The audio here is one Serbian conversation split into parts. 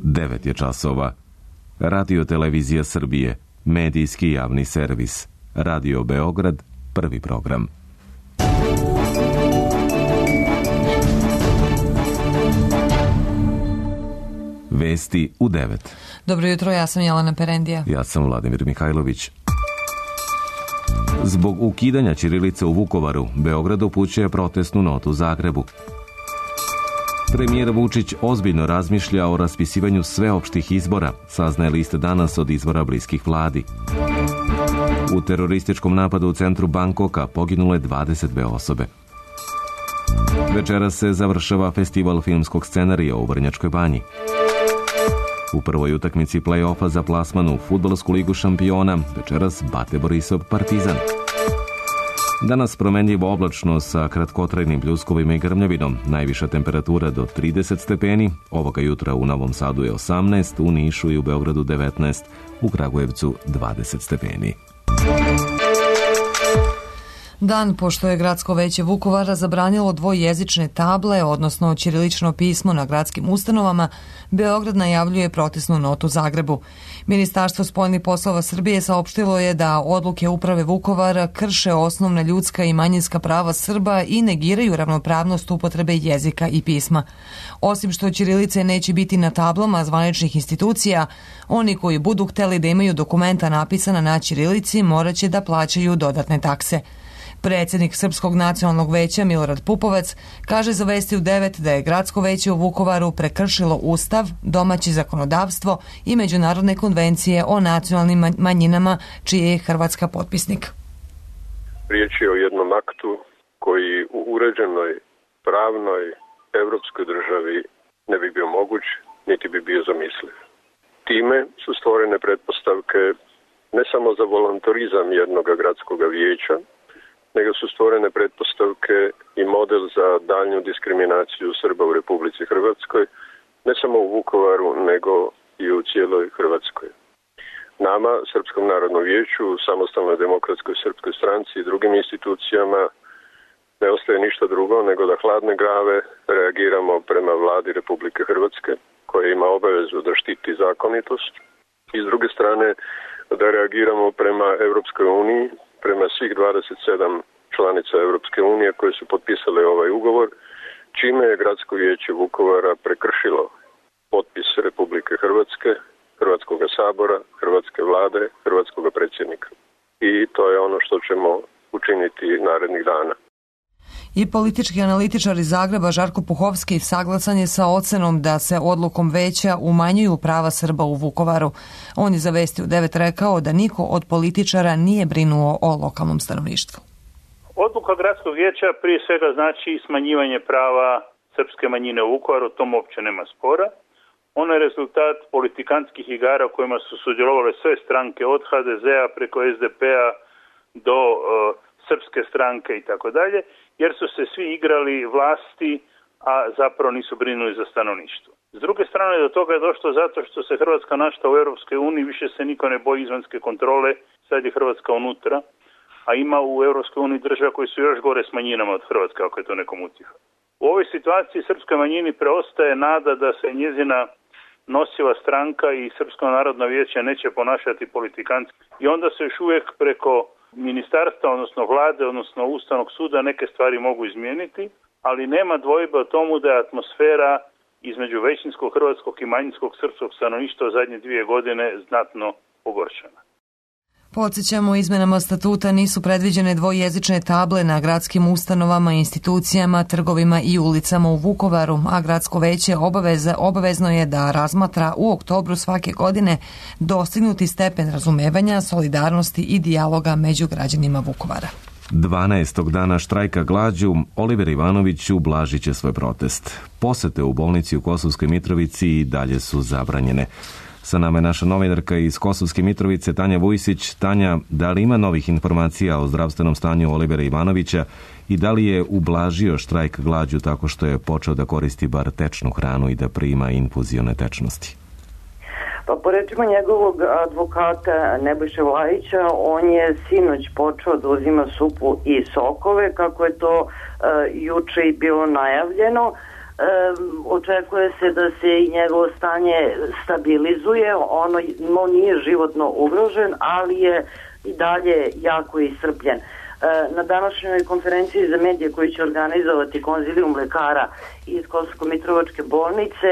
9 je časova. Radio Televizija Srbije, medijski javni servis. Radio Beograd, prvi program. Vesti u 9. Dobro jutro, ja sam Jelena Perendija. Ja sam Vladimir Mihajlović. Zbog ukidanja ćirilice u Vukovaru, Beograd upućuje protestnu notu Zagrebu. Premijer Vučić ozbiljno razmišlja o raspisivanju sveopštih izbora, saznaje list danas od izvora bliskih vladi. U terorističkom napadu u centru Bangkoka poginule 22 osobe. Večeras se završava festival filmskog scenarija u Vrnjačkoj Banji. U prvoj utakmici play-offa za plasman u Fudbalsku ligu šampiona, večeras Bate Borisov Partizan. Danas promenljivo oblačno sa kratkotrajnim pljuskovima i grmljavinom, najviša temperatura do 30 stepeni, ovoga jutra u Novom Sadu je 18, u Nišu i u Beogradu 19, u Kragujevcu 20 stepeni. Dan pošto je Gradsko veće Vukovara zabranilo dvojezične table, odnosno ćirilično pismo na gradskim ustanovama, Beograd najavljuje protestnu notu Zagrebu. Ministarstvo spoljnih poslova Srbije saopštilo je da odluke uprave Vukovara krše osnovna ljudska i manjinska prava Srba i negiraju ravnopravnost upotrebe jezika i pisma. Osim što ćirilice neće biti na tablama zvaničnih institucija, oni koji budu hteli da imaju dokumenta napisana na ćirilici morat će da plaćaju dodatne takse. Predsjednik Srpskog nacionalnog veća Milorad Pupovac kaže za Vesti u 9 da je Gradsko veće u Vukovaru prekršilo Ustav, domaće zakonodavstvo i međunarodne konvencije o nacionalnim manjinama, čiji je Hrvatska potpisnik. Riječ je o jednom aktu koji u uređenoj, pravnoj, evropskoj državi ne bi bio moguć, niti bi bio zamisliv. Time su stvorene pretpostavke ne samo za volontarizam jednog gradskog vijeća, nego su stvorene pretpostavke i model za daljnju diskriminaciju Srba u Republici Hrvatskoj, ne samo u Vukovaru, nego i u cijeloj Hrvatskoj. Nama, Srpskom narodnom vijeću, Samostalnoj demokratskoj srpskoj stranci i drugim institucijama ne ostaje ništa drugo nego da hladne glave reagiramo prema vladi Republike Hrvatske, koja ima obavezu da štiti zakonitost, i s druge strane da reagiramo prema Europskoj uniji, prema svih 27 članica Europske unije koje su potpisale ovaj ugovor, čime je Gradsko vijeće Vukovara prekršilo potpis Republike Hrvatske, Hrvatskog sabora, Hrvatske vlade, Hrvatskog predsjednika. I to je ono što ćemo učiniti narednih dana. I politički analitičar iz Zagreba Žarko Puhovski saglasan je sa ocenom da se odlukom veća umanjuju prava Srba u Vukovaru. On je za Vesti u 9 rekao da niko od političara nije brinuo o lokalnom stanovništvu. Odluka Gradskog vijeća prije svega znači smanjivanje prava srpske manjine u Vukovaru, o tom uopće nema spora. Ono je rezultat politikantskih igara u kojima su sudjelovale sve stranke od HDZ-a preko SDP-a do srpske stranke i tako dalje, jer su se svi igrali vlasti, a zapravo nisu brinuli za stanovništvo. S druge strane, do toga je došlo zato što se Hrvatska našla u Europskoj uniji, više se niko ne boji izvanjske kontrole, sad je Hrvatska unutra, a ima u Europskoj uniji država koji su još gore s manjinama od Hrvatske, ako je to nekom utjeha. U ovoj situaciji srpskoj manjini preostaje nada da se njezina nosiva stranka i Srpsko narodno vijeće neće ponašati politikantski. I onda se još uvijek preko ministarstva, odnosno vlade, odnosno Ustavnog suda neke stvari mogu izmijeniti, ali nema dvojbe o tomu da je atmosfera između većinskog hrvatskog i manjinskog srpskog stanovništva u zadnje 2 godine znatno pogoršana. Podsjećamo, izmenama statuta nisu predviđene dvojezične table na gradskim ustanovama, institucijama, trgovima i ulicama u Vukovaru, a Gradsko veće obavezno je da razmatra u oktobru svake godine dostignuti stepen razumevanja, solidarnosti i dijaloga među građanima Vukovara. 12. dana štrajka glađu Oliver Ivanović ublažit će svoj protest. Posete u bolnici u Kosovskoj Mitrovici i dalje su zabranjene. Sa nama je naša novinarka iz Kosovske Mitrovice, Tanja Vujsić. Tanja, da li ima novih informacija o zdravstvenom stanju Olivera Ivanovića i da li je ublažio štrajk glađu tako što je počeo da koristi bar tečnu hranu i da prima infuzione tečnosti? Pa po rečima njegovog advokata Nebojše Vlajića, on je sinoć počeo da uzima supu i sokove, kako je to juče i bilo najavljeno. Očekuje se da se i njegovo stanje stabilizuje, on nije životno ugrožen, ali je i dalje jako iscrpljen. Na današnjoj konferenciji za medije koji će organizovati konzilijum lekara iz Kosovsko-Mitrovačke bolnice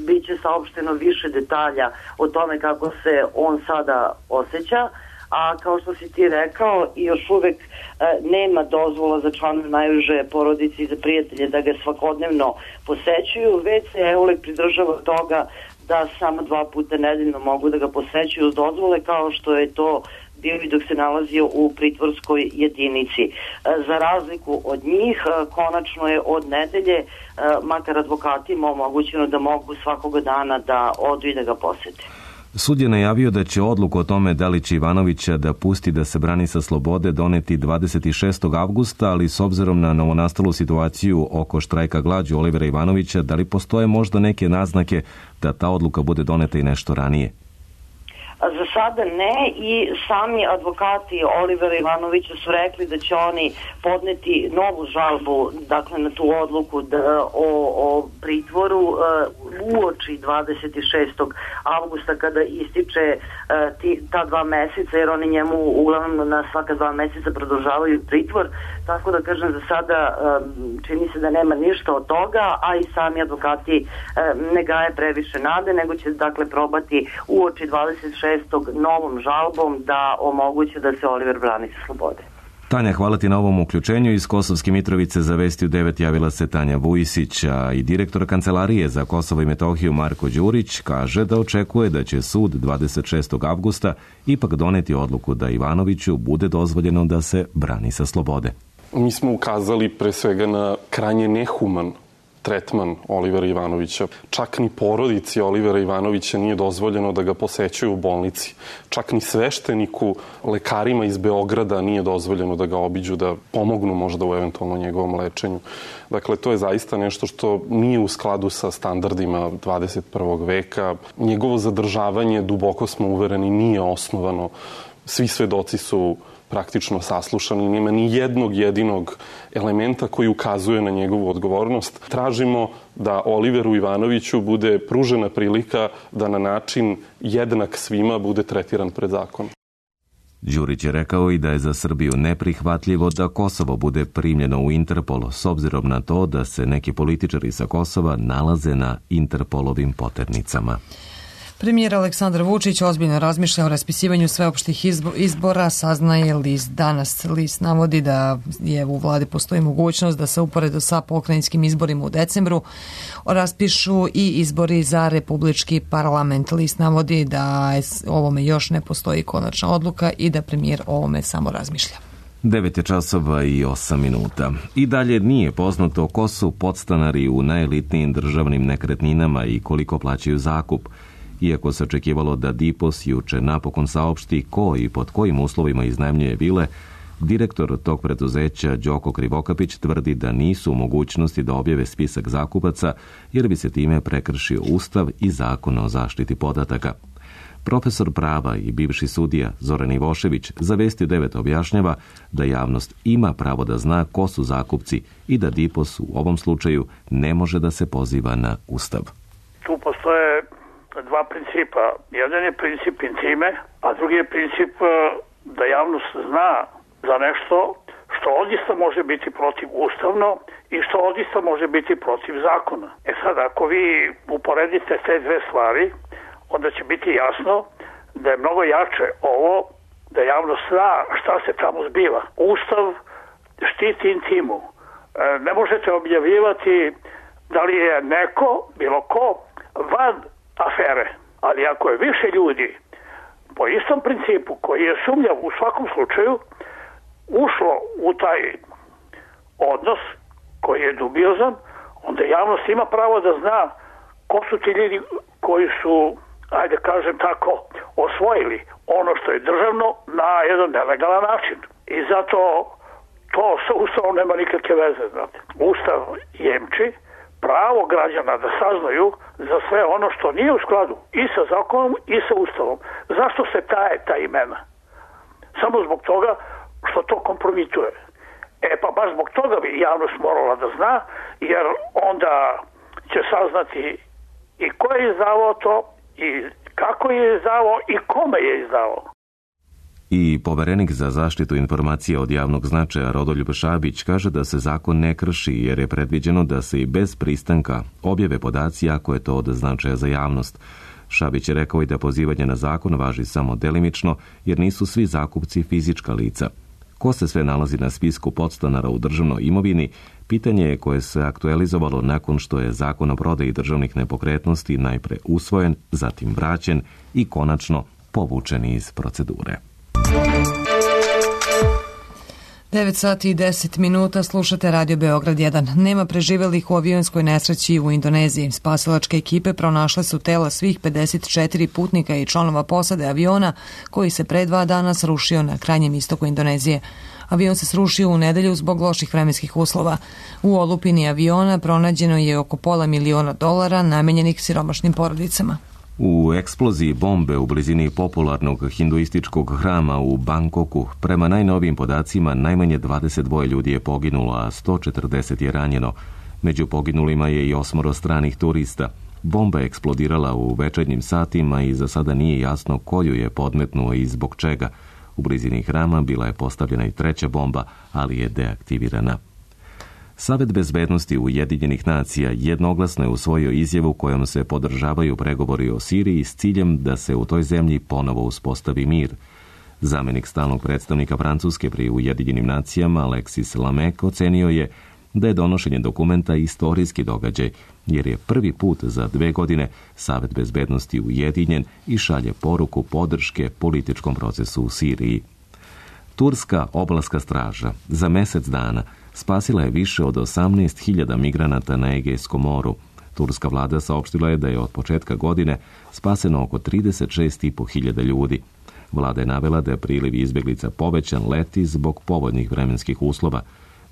bit će saopšteno više detalja o tome kako se on sada osjeća, a kao što si ti rekao, još uvek nema dozvola za članove najuže porodice i za prijatelje da ga svakodnevno posećuju, već se EULEK pridržava toga da samo 2 puta nedeljno mogu da ga posećuju uz dozvole, kao što je to bio i dok se nalazio u pritvorskoj jedinici. Za razliku od njih, konačno je od nedelje, makar advokatima, omogućeno da mogu svakoga dana da odu i da ga posete. Sud je najavio da će odluku o tome da li će Ivanovića da pusti da se brani sa slobode doneti 26. avgusta, ali s obzirom na novonastalu situaciju oko štrajka glađu Olivera Ivanovića, da li postoje možda neke naznake da ta odluka bude doneta i nešto ranije? Za sada ne, i sami advokati Olivera Ivanovića su rekli da će oni podneti novu žalbu, dakle, na tu odluku o pritvoru uoči 26. avgusta kada ističe ta 2 meseca, jer oni njemu uglavnom na svaka 2 meseca produžavaju pritvor, tako da kažem, za sada čini se da nema ništa od toga, a i sami advokati ne gaje previše nade, nego će dakle probati uoči 26. novom žalbom da omoguće da se Oliver brani sa slobode. Tanja, hvala ti na ovom uključenju. Iz Kosovske Mitrovice za Vesti u 9 javila se Tanja Vujisić, a i direktor Kancelarije za Kosovo i Metohiju Marko Đurić kaže da očekuje da će sud 26. avgusta ipak doneti odluku da Ivanoviću bude dozvoljeno da se brani sa slobode. Mi smo ukazali pre svega na krajnje nehuman tretman Olivera Ivanovića. Čak ni porodici Olivera Ivanovića nije dozvoljeno da ga posećuju u bolnici. Čak ni svešteniku, lekarima iz Beograda nije dozvoljeno da ga obiđu, da pomognu možda u eventualno njegovom lečenju. Dakle, to je zaista nešto što nije u skladu sa standardima 21. veka. Njegovo zadržavanje, duboko smo uvereni, nije osnovano. Svi svedoci su praktično saslušani, nema ni jednog jedinog elementa koji ukazuje na njegovu odgovornost. Tražimo da Oliveru Ivanoviću bude pružena prilika da na način jednak svima bude tretiran pred zakonom. Đurić je rekao i da je za Srbiju neprihvatljivo da Kosovo bude primljeno u Interpol, s obzirom na to da se neki političari sa Kosova nalaze na Interpolovim poternicama. Premijer Aleksandar Vučić ozbiljno razmišlja o raspisivanju sveopštih izbora, saznaje list danas. List navodi da je u vladi postoji mogućnost da se uporedo sa pokrajinskim izborima u decembru raspišu i izbori za republički parlament. List navodi da ovome još ne postoji konačna odluka i da premijer o ovome samo razmišlja. 9:08. I dalje nije poznato ko su podstanari u najelitnijim državnim nekretninama i koliko plaćaju zakup. Iako se očekivalo da DIPOS juče napokon saopšti ko i pod kojim uslovima iznajmljuje vile, direktor tog preduzeća Đoko Krivokapić tvrdi da nisu u mogućnosti da objave spisak zakupaca jer bi se time prekršio Ustav i Zakon o zaštiti podataka. Profesor prava i bivši sudija Zoran Ivošević za Vesti 9 objašnjava da javnost ima pravo da zna ko su zakupci i da DIPOS u ovom slučaju ne može da se poziva na Ustav. Tu postoje 2 principa. Jedan je princip intime, a drugi je princip da javnost zna za nešto što odista može biti protivustavno i što odista može biti protiv zakona. Sad, ako vi uporedite te 2 stvari, onda će biti jasno da je mnogo jače ovo da javnost zna šta se tamo zbiva. Ustav štiti intimu. Ne možete objavljivati da li je neko, bilo ko, van afere. Ali ako je više ljudi po istom principu koji je sumnjav u svakom slučaju ušlo u taj odnos koji je dubiozan, onda javnost ima pravo da zna ko su ti ljudi koji su, ajde kažem tako, osvojili ono što je državno na jedan nelegalan način. I zato to sa Ustavom nema nikakve veze, znate. Ustav jemči pravo građana da saznaju za sve ono što nije u skladu i sa zakonom i sa Ustavom. Zašto se taje ta imena? Samo zbog toga što to kompromituje. Pa baš zbog toga bi javnost morala da zna, jer onda će saznati i ko je izdavao to, i kako je izdavao i kome je izdavao. I poverenik za zaštitu informacija od javnog značaja Rodoljub Šabić kaže da se zakon ne krši jer je predviđeno da se i bez pristanka objave podaci ako je to od značaja za javnost. Šabić je rekao i da pozivanje na zakon važi samo delimično jer nisu svi zakupci fizička lica. Ko se sve nalazi na spisku podstanara u državnoj imovini, pitanje je koje se aktualizovalo nakon što je zakon o prodaji državnih nepokretnosti najpre usvojen, zatim vraćen i konačno povučen iz procedure. 9 sati i 10 minuta, slušate Radio Beograd 1. Nema preživelih u avionskoj nesreći u Indoneziji. Spasilačke ekipe pronašle su tela svih 54 putnika i članova posade aviona koji se pre 2 dana srušio na krajnjem istoku Indonezije. Avion se srušio u nedelju zbog loših vremenskih uslova. U olupini aviona pronađeno je oko $500.000 namenjenih siromašnim porodicama. U eksploziji bombe u blizini popularnog hinduističkog hrama u Bangkoku, prema najnovijim podacima, najmanje 22 ljudi je poginulo, a 140 je ranjeno. Među poginulima je i 8 stranih turista. Bomba je eksplodirala u večernjim satima i za sada nije jasno koju je podmetnuo i zbog čega. U blizini hrama bila je postavljena i 3. bomba, ali je deaktivirana. Savet bezbednosti Ujedinjenih nacija jednoglasno je usvojio izjavu kojom se podržavaju pregovori o Siriji s ciljem da se u toj zemlji ponovo uspostavi mir. Zamenik stalnog predstavnika Francuske pri Ujedinjenim nacijama Alexis Lamek ocenio je da je donošenje dokumenta istorijski događaj, jer je prvi put za 2 godine Savet bezbednosti ujedinjen i šalje poruku podrške političkom procesu u Siriji. Turska obalska straža za mjesec dana spasila je više od 18.000 migranata na Egejskom moru. Turska vlada saopštila je da je od početka godine spaseno oko 36.500 ljudi. Vlada je navela da je priliv izbjeglica povećan leti zbog povoljnih vremenskih uslova.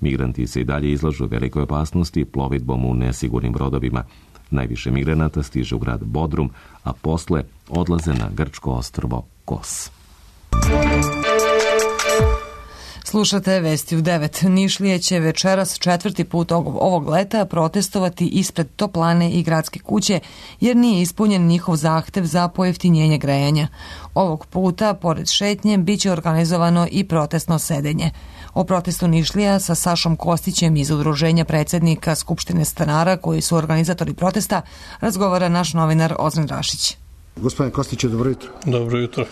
Migranti se i dalje izlažu velikoj opasnosti plovidbom u nesigurnim brodovima. Najviše migranata stiže u grad Bodrum, a posle odlaze na grčko ostrvo Kos. Slušate Vesti u 9. Nišlije će večeras 4. put ovog leta protestovati ispred toplane i gradske kuće jer nije ispunjen njihov zahtev za pojeftinjenje grejanja. Ovog puta, pored šetnje, bit će organizovano i protestno sedenje. O protestu Nišlija sa Sašom Kostićem iz Udruženja predsjednika Skupštine stanara, koji su organizatori protesta, razgovara naš novinar Ozren Rašić. Gospodine Kostiću, dobro jutro. Dobro jutro.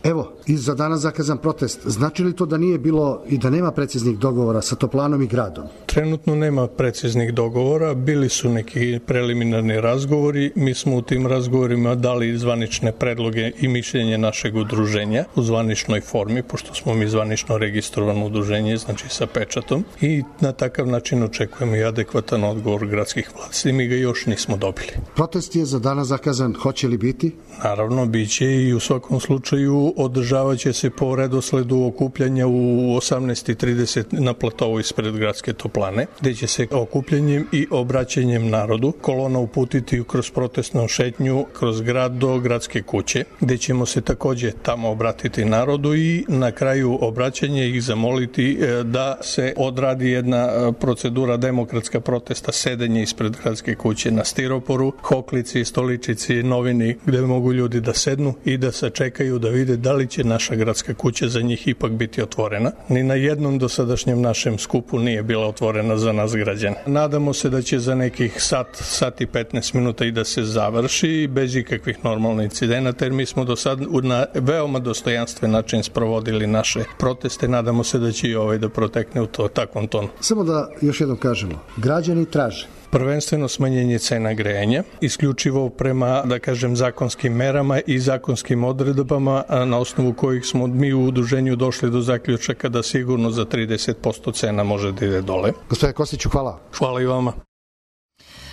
Evo, i za danas zakazan protest. Znači li to da nije bilo i da nema preciznih dogovora sa toplanom i gradom? Trenutno nema preciznih dogovora. Bili su neki preliminarni razgovori. Mi smo u tim razgovorima dali zvanične predloge i mišljenje našeg udruženja u zvaničnoj formi, pošto smo mi zvanično registrovano udruženje, znači sa pečatom. I na takav način očekujemo i adekvatan odgovor gradskih vlasti. Mi ga još nismo dobili. Protest je za danas zakazan. Hoće li biti? Naravno, bit će i u svakom slučaju održavat će se po redosledu okupljanja u 18:30 na platovu ispred gradske toplane, gdje će se okupljanjem i obraćanjem narodu kolona uputiti kroz protestnu šetnju kroz grad do gradske kuće, gdje ćemo se također tamo obratiti narodu i na kraju obraćanja ih zamoliti da se odradi jedna procedura demokratska protesta, sedenje ispred gradske kuće na stiroporu, hoklici, stoličici, novini, gdje mogu ljudi da sednu i da se čekaju da vide da li će naša gradska kuća za njih ipak biti otvorena. Ni na jednom dosadašnjem našem skupu nije bila otvorena za nas građane. Nadamo se da će za nekih sat i 15 minuta i da se završi bez ikakvih normalnih incidenata, jer mi smo do sad na veoma dostojanstven način sprovodili naše proteste. Nadamo se da će i ovaj da protekne u takvom tonu. Samo da još jednom kažemo, građani traže prvenstveno smanjenje cena grejanja, isključivo prema, da kažem, zakonskim merama i zakonskim odredbama na osnovu kojih smo mi u udruženju došli do zaključaka da sigurno za 30% cena može da ide dole. Gospodine Kostiću, hvala. Hvala i vama.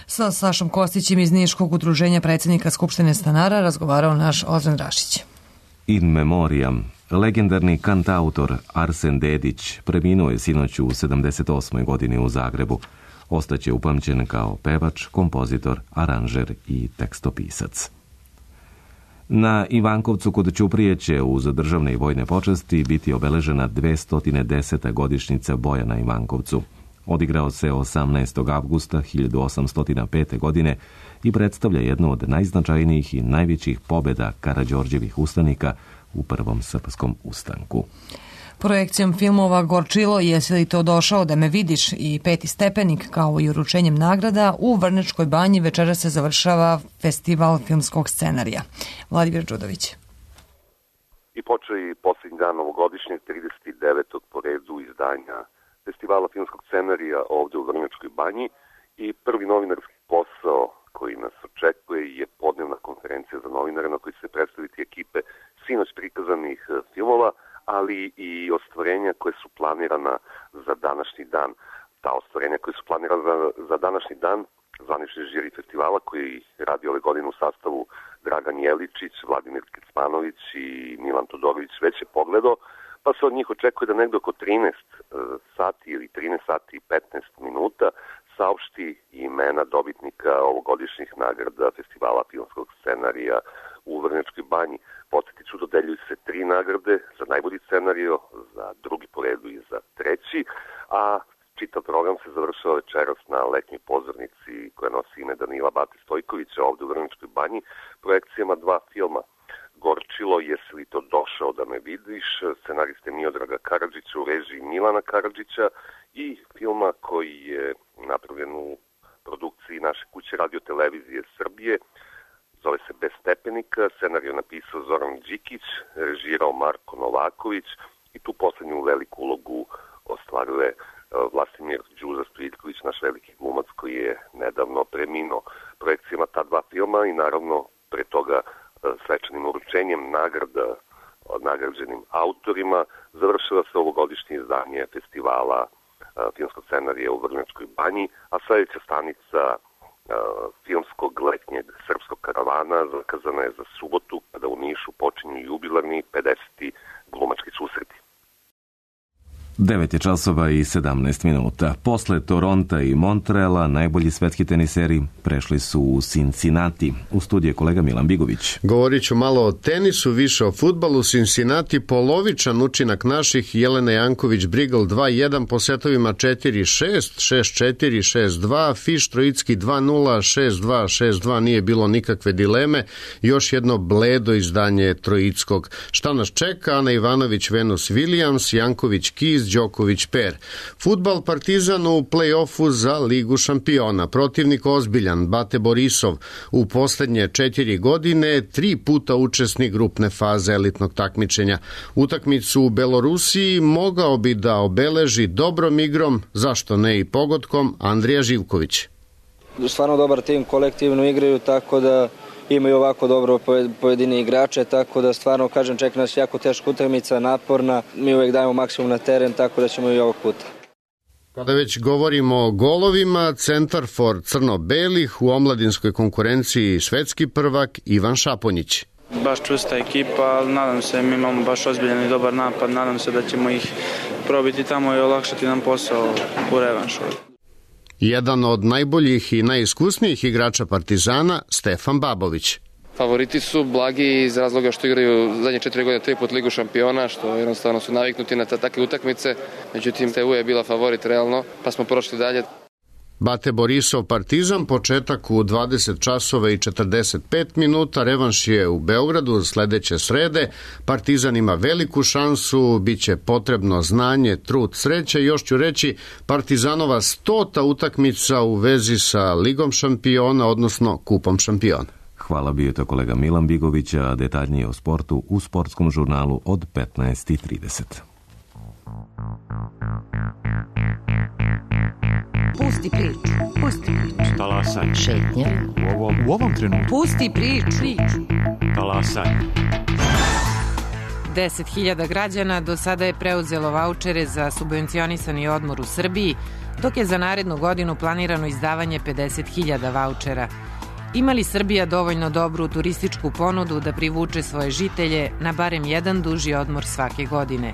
Sa Sašom Kostićem iz Niškog udruženja predsjednika Skupštine stanara razgovarao naš Ozren Rašić. In memoriam. Legendarni kantautor Arsen Dedić preminuo je sinoć u 78. godini u Zagrebu. Ostaće upamćen kao pevač, kompozitor, aranžer i tekstopisac. Na Ivankovcu kod Ćuprije će uz državne i vojne počasti biti obeležena 210. godišnjica boja na Ivankovcu. Odigrao se 18. avgusta 1805. godine i predstavlja jednu od najznačajnijih i najvećih pobjeda Karađorđevih ustanika u Prvom srpskom ustanku. Projekcijom filmova Gorčilo, Jesi li to došao da me vidiš i Peti stepenik, kao i uručenjem nagrada, u Vrnjačkoj banji večera se završava festival filmskog scenarija. Vladimir Đudović. I počeo i posljednji dan novogodišnjeg 39. po redu izdanja festivala filmskog scenarija ovde u Vrnjačkoj banji i prvi novinarski posao koji nas očekuje je podnevna konferencija za novinare na kojoj će se predstaviti ekipe sinoć prikazanih filmova, ali i ostvarenja koje su planirana za današnji dan. Ta ostvarenja koje su planirana za današnji dan, zvanični žiri festivala koji radi ove godine u sastavu Dragan Jeličić, Vladimir Kecmanović i Milan Todorović već je pogledao, pa se od njih očekuje da negdje oko 13 sati ili 13 sati i 15 minuta saopšti imena dobitnika ovogodišnjih nagrada festivala filmskog scenarija u Vrnjačkoj banji. Podsjetit ću, dodeljuju se 3 nagrade za najbolji scenario, za drugi po redu i za treći, a čitav program se završava večeras na letnjoj pozornici koja nosi ime Danila Bate Stojkovića ovde u Vrnjačkoj banji, projekcijama 2 filma. Gorčilo, Jesi li to došao da me vidiš, scenariste Miodraga Karadžića u režiji Milana Karadžića i filma koji je napravljen u produkciji naše kuće Radio Televizije Srbije. Zove se Bez stepenika, scenarij je napisao Zoran Đikić, režirao Marko Novaković i tu poslednju veliku ulogu ostvaruje Vlastimir Đuza Stojiljković, naš veliki glumac koji je nedavno preminuo. Projekcijama ta 2 filma i naravno pre toga svečanim uručenjem nagrada od nagrađenim autorima završava se ovogodišnje izdanje festivala filmskog scenarija u Vrnjačkoj banji, a sledeća stanica filmskog letnjeg srpskog karavana zakazana je za subotu, kada u Nišu počinju jubilarni 50. glumački susreti. 9 je časova i 17 minuta. Posle Toronta i Montreala najbolji svetski teniseri prešli su u Cincinnati. U studiju je kolega Milan Bigović. Govorit ću malo o tenisu, više o fudbalu. Cincinnati polovičan učinak naših. Jelena Janković-Brigl 2-1 po setovima 4-6, 6-4, 6-2, Fiš Trojicki 2-0, 6-2, 6-2, nije bilo nikakve dileme. Još jedno bledo izdanje Trojickog. Šta nas čeka? Ana Ivanović, Venus Williams, Janković Kiz, Đoković Per. Fudbal Partizan u play-offu za Ligu šampiona. Protivnik ozbiljan, Bate Borisov. U poslednje 4 godine 3 puta učesnik grupne faze elitnog takmičenja. Utakmicu u Belorusiji mogao bi da obeleži dobrom igrom, zašto ne i pogodkom, Andrija Živković. Stvarno dobar tim, kolektivno igraju, tako da imaju ovako dobro pojedini igrače, tako da stvarno, kažem, čeka nas jako teška utakmica, naporna. Mi uvek dajemo maksimum na teren, tako da ćemo i ovog puta. Kada već govorimo o golovima, centar for crno-belih u omladinskoj konkurenciji svetski prvak Ivan Šaponjić. Baš čusta ekipa, ali nadam se, mi imamo baš ozbiljan i dobar napad, nadam se da ćemo ih probiti tamo i olakšati nam posao u revanšu. Jedan od najboljih i najiskusnijih igrača Partizana, Stefan Babović. Favoriti su blagi iz razloga što igraju zadnje 4 godine 3 put Ligu šampiona, što jednostavno su naviknuti na takve utakmice. Međutim, TU je bila favorit realno, pa smo prošli dalje. Bate Borisov Partizan, početak u 20 časova i 45 minuta, revanš je u Beogradu sledeće srede. Partizan ima veliku šansu, bit će potrebno znanje, trud, sreće. Još ću reći, Partizanova 100. utakmica u vezi sa Ligom šampiona, odnosno Kupom šampiona. Hvala, bio je to kolega Milan Bigović, a detaljnije o sportu u sportskom žurnalu od 15:30. Pusti priču, pusti priču. Talasaj. Šetnja. U ovom trenutku. Pusti priču. Talasaj. 10.000 građana do sada je preuzelo vaučere za subvencionisani odmor u Srbiji, dok je za narednu godinu planirano izdavanje 50.000 vaučera. Ima li Srbija dovoljno dobru turističku ponudu da privuče svoje žitelje na barem jedan duži odmor svake godine?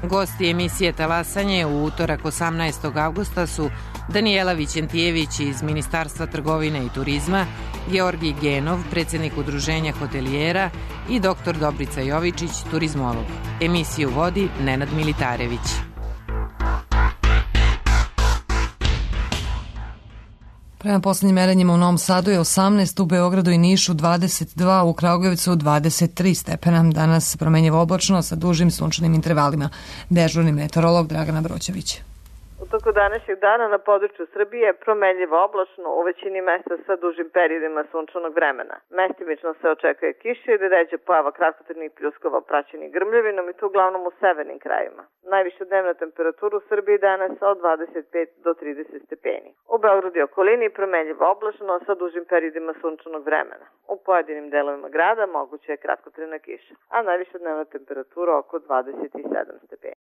Gosti emisije Talasanje u utorak 18. avgusta su Danijela Vićentijević iz Ministarstva trgovine i turizma, Georgij Genov, predsjednik udruženja hotelijera i dr. Dobrica Jovičić, turizmolog. Emisiju vodi Nenad Militarević. Prema poslednjim merenjima u Novom Sadu je 18, u Beogradu i Nišu 22, u Kragujevcu 23 stepena. Danas promenjivo oblačno sa dužim sunčanim intervalima. Dežurni meteorolog Dragana Broćević. U toku današnjeg dana na području Srbije promenljivo oblačno, u većini mesta sa dužim periodima sunčanog vremena. Mestimično se očekuje kiša ili ređa pojava kratkotrajnih pljuskova praćenih grmljavinom i to uglavnom u severnim krajevima. Najviša dnevna temperatura u Srbiji danas od 25 do 30 stepeni. U Beogradu i okolini promenljivo oblačno sa dužim periodima sunčanog vremena. U pojedinim delovima grada moguće je kratkotrajna kiša, a najviša dnevna temperatura oko 27 stepeni.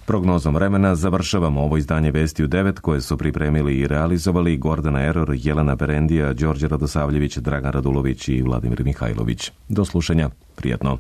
Prognozom vremena završavamo ovo izdanje Vesti u 9 koje su pripremili i realizovali Gordana Eror, Jelena Berendija, Đorđe Radosavljević, Dragan Radulović i Vladimir Mihajlović. Do slušanja, prijatno.